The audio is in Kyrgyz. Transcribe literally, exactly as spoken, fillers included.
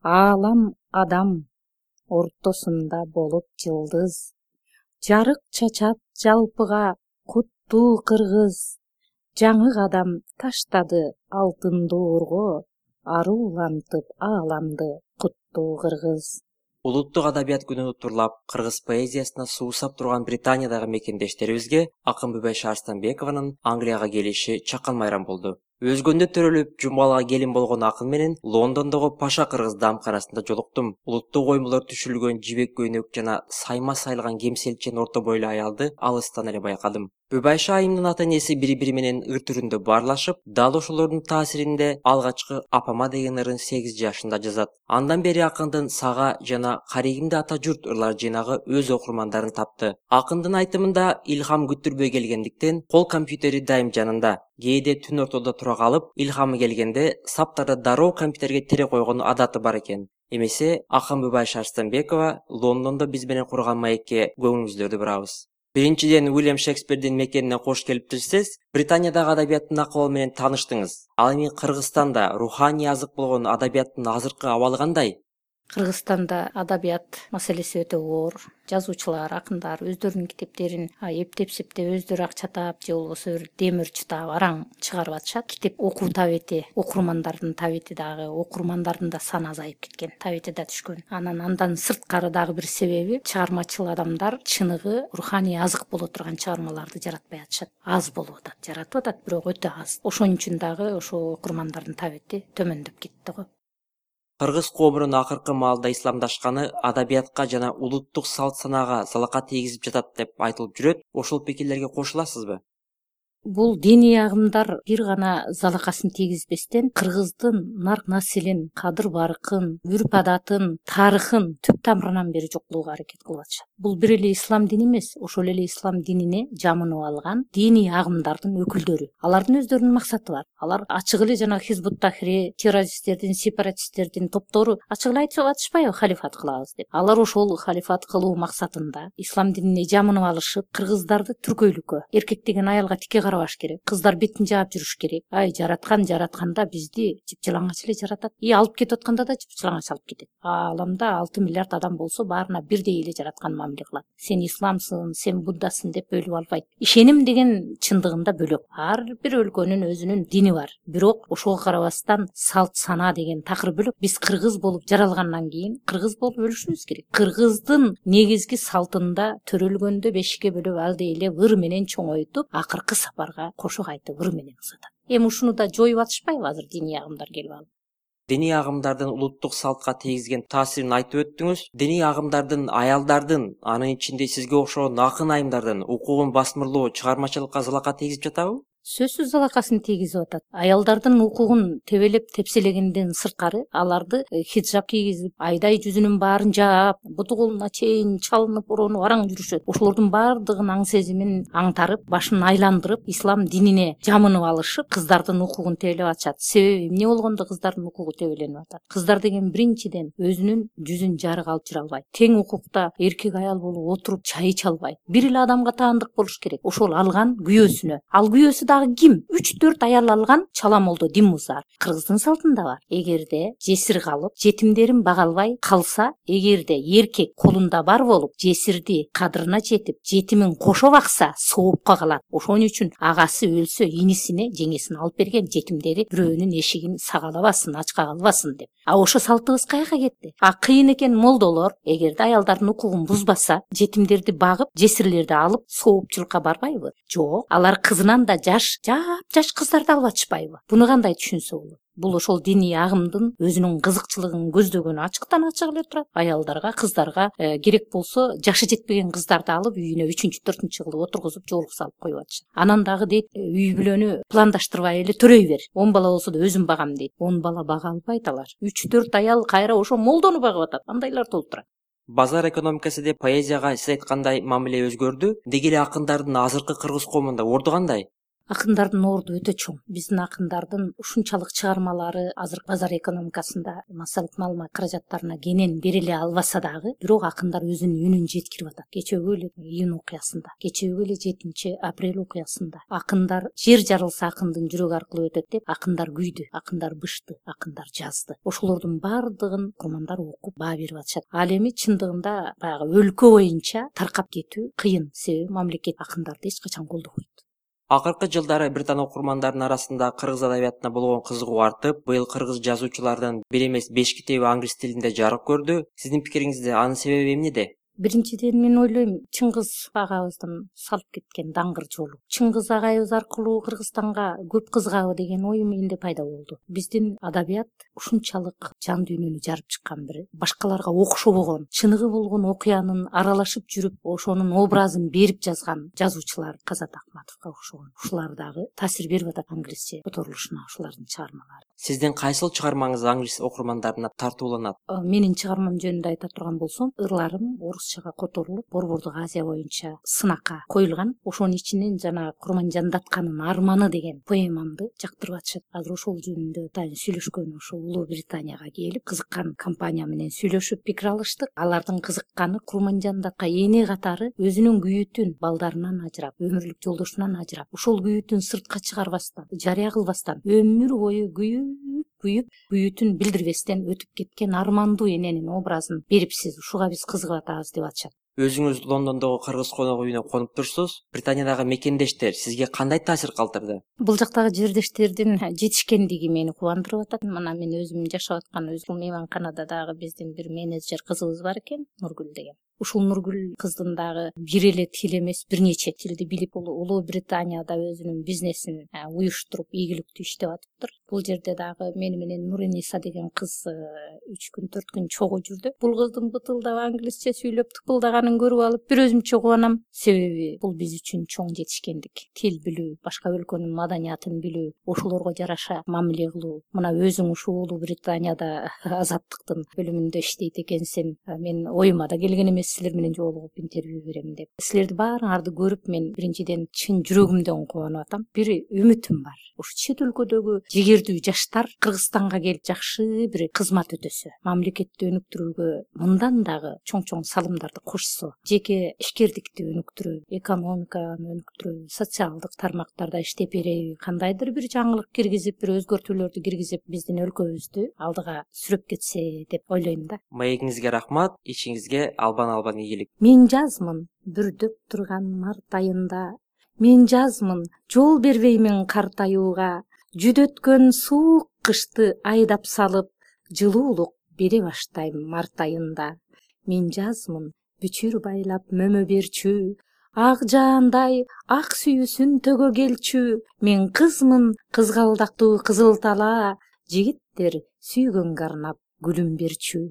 Аалам адам ортосунда болуп жылдыз, жарык чачат жалпыга куттуу кыргыз. Жаңы кадам таштады алтын доорго, арулантып ааламды куттуу кыргыз. Улуттук адабият күнүн уттурлап, кыргыз поэзиясына суусап турган Британиядагы мекендештерибизге акын Бүбайша Арстанбекованын Англияга келиши чакан майрам болду. Өзгөндө төрөлүп, Жумгалга келин болгон акын менен Лондондогу Паша кыргыз дамканасында жолуктум. Улуттук оюмдулар түшүрүлгөн жибек көйнөк жана сайма сайылган кемселчен орто бойлуу аялды алыстан эле байкадым. Бүбайша айымдын ата энеси бири-бири менен ыр түрүндө баарлашып, дал ошолордун таасиринде алгачкы апама деген ырын сегиз жашында жазат. Андан бери акындын Сага жана Каригимди ата журт ырлар жыйнагы өз окурмандарын тапты. Акындын айтымында илхам күттүрбөй келгендиктен кол компьютери дайым жанында. Кээде түн ортодо тура калып, илхамы келгенде саптарды дароо компьютерге тере койгон адаты бар экен. Эмесе акын Бүбайша Арстанбекова Лондондо биз менен курган маекке көңүлүңүздөрдү бурабыз. Биринчиден, Уильям Шекспирдин мекенине кош келиптирсиз. Британиядагы адабияттын акыбалы менен тааныштыңыз. Ал эми Кыргызстанда руханий азык болгон адабияттын азыркы абалы кандай? Кыргызстанда адабият маселеси өтө оор. Жазуучулар, акындар өздөрүнүн китептерин эптеп септеп өздөрү ак чатап же болбосо бир демир чытап араң чыгарып атышат. Китеп окуу табити, окурмандардын табити дагы, окурмандардын да саны азайып кеткен, табити да түшкөн. Анан андан сырткары дагы бир себеби чыгармачыл адамдар чыныгы руханий азык боло турган чыгармаларды жаратпай атышат. Аз болуп атат, жаратып атат, бирок өтө аз. Ошон үчүн дагы ошо окурмандардын табити төмөндөп кетти го. Кыргыз коомунун акыркы маалда исламдашканы адабиятка жана улуттук салт санаага залака тийгизип жатат деп айтылып жүрөт. Ошол пикирлерге кошуласызбы? Бул диний агымдар бир гана залакасын тийгизбестен кыргыздын нарк населин, кадыр баркын, үрп адатын, тарыхын түп тамырынан бери жоккулоого аракет кылып атышат. Бул бир эле ислам дини эмес, ошол эле ислам динине жамынып алган диний агымдардын өкүлдөрү. Алардын өздөрүнүн максаты бар. Алар ачык эле жана Хизбут Тахрир, террористтердин, сепаратисттердин топтору ачык эле айтып атышпайбы халифат кылабыз деп. Алар ошол халифат кылуу максатында ислам динине жамынып алышып, кыргыздарды түркөйлүккө, эркек деген аялга тике карабаш керек, кыздар бетин жаап жүрүш керек. Ай, жараткан жаратканда бизди жыпжылаңач эле жаратат. И алып кетип атканда да жыпжылаңач алып кетет. Ааламда алты миллиард адам болсо, баарына бирдей эле жараткан мамиле кылат. Сен исламсың, сен буддасың деп бөлүп албайт. Ишеним деген чындыгында бөлөк. Ар бир өлкөнүн өзүнүн дини бар. Бирок ошого карабастан салт сана деген такыр бөлөк. Биз кыргыз болуп жаралгандан кийин кыргыз болуп өлүшүбүз керек. Кыргыздын негизги салтында төрөлгөндө бешикке бөлөп алды эле ыр менен чоңойтуп, акыркы сапарга кошо кайтып ыр менен узатат. Эми ушуну да жоюп атышпайбы азыр диний агымдар келип алып? Диний агымдардын улуттук салтка тийгизген таасирин айтып өттүңүз. Диний агымдардын аялдардын, анын ичинде сизге окшогон акын айымдардын укугун басмырлоо чыгармачылыкка залака тийгизип жатабы? Сөзсүз залакасын тийгизип атат. Аялдардын укугун тебелеп тепселегенден сырткары аларды хиджаб кийгизип, айдай жүзүнүн баарын жаап, буту колуна чейин чалынып, оронуп араң жүрүшөт. Ошолордун баардыгын аң сезимин аңтарып, башын айландырып, ислам динине жамынып алышып, кыздардын укугун тебелеп атышат. Себеби эмне болгондо кыздардын укугу тебеленип атат? Кыздар деген биринчиден өзүнүн жүзүн жарык алып жүрө албайт. Тең укукта эркек аял болуп отуруп чай иче албайт. Бир эле адамга таандык болуш керек. Ошол алган күйөөсүнө. Ал күйөөсү ким? үч төрт аял алган чаламолдо Диммузар. Кыргыздын салтында бар. Эгерде жесир калып, жетимдерин бага албай калса, эгерде эркек колунда бар болуп, жесирди кадырына жетип, жетимин кошо бакса, соопко калат. Ошон үчүн агасы өлсө, инисине жеңесин алып берген, жетимдери бирөөнүн эшигин сагалабасын, ачка калбасын деп. А ошо салтыбыз каяка кетти? А кыйын экен молдолор, эгерде аялдардын укугун бузбаса, жетимдерди багып, жесирлерди алып, соопчулукка барбайбы? Жок, алар кызынан да жаш жаш кыздарды алып атышпайбы? Буну кандай түшүнсө болот? Бул ошол диний агымдын өзүнүн кызыкчылыгын көздөгөнү ачыктан ачык эле турат. Аялдарга, кыздарга э, керек болсо жашы жетпеген кыздарды алып үйүнө үчүнчү, төртүнчү кылып отургузуп, жоолук салып коюп атышат. Анан дагы дейт, үй бүлөнү пландаштырбай эле төрөй бер. он бала болсо да өзүм багам дейт. он бала бага албайт алар. үч төрт аял кайра ошо молдону багып атат. Андайлар толуп турат. Базар экономикасы деп поэзияга сиз айткандай мамиле өзгөрдү. Деги эле акындардын азыркы кыргыз коомунда орду кандай? Акындардын орду өтө чоң. Биздин акындардын ушунчалык чыгармалары азыр базар экономикасында массалык маалымат каражаттарына кенен бериле албаса дагы, бирок акындар өзүнүн үнүн жеткирип атат. Кечеөгө эле июнь окуясында, кечеөгө эле жетинчи апрель окуясында акындар жер жарылса акындын жүрөгү аркылуу өтөт деп акындар күйдү, акындар бышты, акындар жазды. Ошолордун баардыгын окурмандар окуп баа берип атышат. Ал эми чындыгында баягы өлкө боюнча таркап кетүү кыйын, себеби мамлекет акындарды эч качан колдобойт. Акыркы жылдары британ окурмандарынын арасында кыргыз адабиятына болгон кызыгуу артып, быйыл кыргыз жазуучулардын бир эмес беш китеби англис тилинде жарык көрдү. Сиздин пикириңизде анын себеби эмнеде? Биринчиден мен ойлойм, Чыңгыз агабыздын салып кеткен даңгыр жолу. Чыңгыз агайыбыз аркылуу Кыргызстанга көп кызыгабы деген ой менде пайда болду. Биздин адабият ушунчалык жан дүйнөнү жарып чыккан, бир башкаларга окшобогон, чыныгы болгон окуянын аралашып жүрүп, ошонун образын берип жазган жазуучулар Казат Акматовго окшогон. Ушулар дагы таасир берип атат англисче которулушуна ушулардын чыгармалары. Сиздин кайсыл чыгармаңыз англис окурмандарына тартууланат? Менин чыгармам жөнүндө айта турган болсом, ырларым орусчага которулуп, Борбордук Азия боюнча сынакка коюлган. Ошонун ичинен жана Курманжандатканын арманы деген поэмамды жактырып атышат. Азыр ошол жөнүндө атайын сүйлөшкөн, ошо Улуу Британияга келип, кызыккан компания менен сүйлөшүп пикир алыштык. Алардын кызыкканы Курманжандатка эне катары өзүнүн күйүтүн балдарынан ажырап, өмүрлүк жолдошунан ажырап, ошол күйүтүн сыртка чыгарбастан, жарыя кылбастан, өмүр бою күйүп күйүп, күйүтүн билдирбестен өтүп кеткен армандуу эненин образын берипсиз. Ушуга биз кызыгып атабыз деп атышат. Өзүңүз Лондондогу кыргыз конок үйүнө конуп турсуз. Британиядагы мекендештер сизге кандай таасир калтырды? Бул жактагы жердештердин жетишкендиги мени кубандырып атат. Мына мен өзүм жашап аткан өзүм мейманканадагы биздин бир менеджер кызыбыз бар экен, Нургүл деген. Ушул Нургүл кыздын дагы бир эле тил эмес, бир нече тилди билип, Улуу Британияда өзүнүн бизнесин уюштуруп, ийгиликтүү иштеп атыптыр. Бул жерде дагы мени менен Нуриниса деген кыз үч күн, төрт күн чогуу жүрдү. Бул кыздын бытылдап англисче сүйлөп тыпылдаганын көрүп алып, бир өзүмчө кубанам. Себеби бул биз үчүн чоң жетишкендик. Тил билүү, башка өлкөнүн маданиятын билүү, ошолорго жараша мамиле кылуу. Мына өзүң ушул Улуу Британияда азаттыктын бөлүмүндө иштейт экенсиң. Мен оюма да келген эмес силер менен жолугуп интервью берем деп. Силерди баарыңарды көрүп мен биринчиден чын жүрөгүмдөн кубанып атам. Бир үмүтүм бар. Ушу чет өлкөдөгү жигердүү жаштар Кыргызстанга келип жакшы бир кызмат өтөсө, мамлекетти өнүктүрүүгө мындан дагы чоң-чоң салымдарды кошсо, жеке ишкердикти өнүктүрүү, экономиканы өнүктүрүү, социалдык тармактарда иштеп береби, кандайдыр бир жаңылык киргизип, бир өзгөртүүлөрдү киргизип, биздин өлкөбүздү алдыга сүрөп кетсе деп ойлойм да. Маегиңизге рахмат, ичиңизге албан-албан ийгилик. Мен жазмын бүрдөп турган март айында, мен жазмын жол бербеймин картаюуга, жүдөткөн суук кышты айдап салып, жылуулук бере баштайм март айында. Мен жазмын бүчүр байлап мөмө берчү, ак жаандай ак сүйүүсүн төгө келчү. Мен кызмын кызгалдактуу кызыл тала, жигиттер сүйгөнгө арнап гүлүм берчү.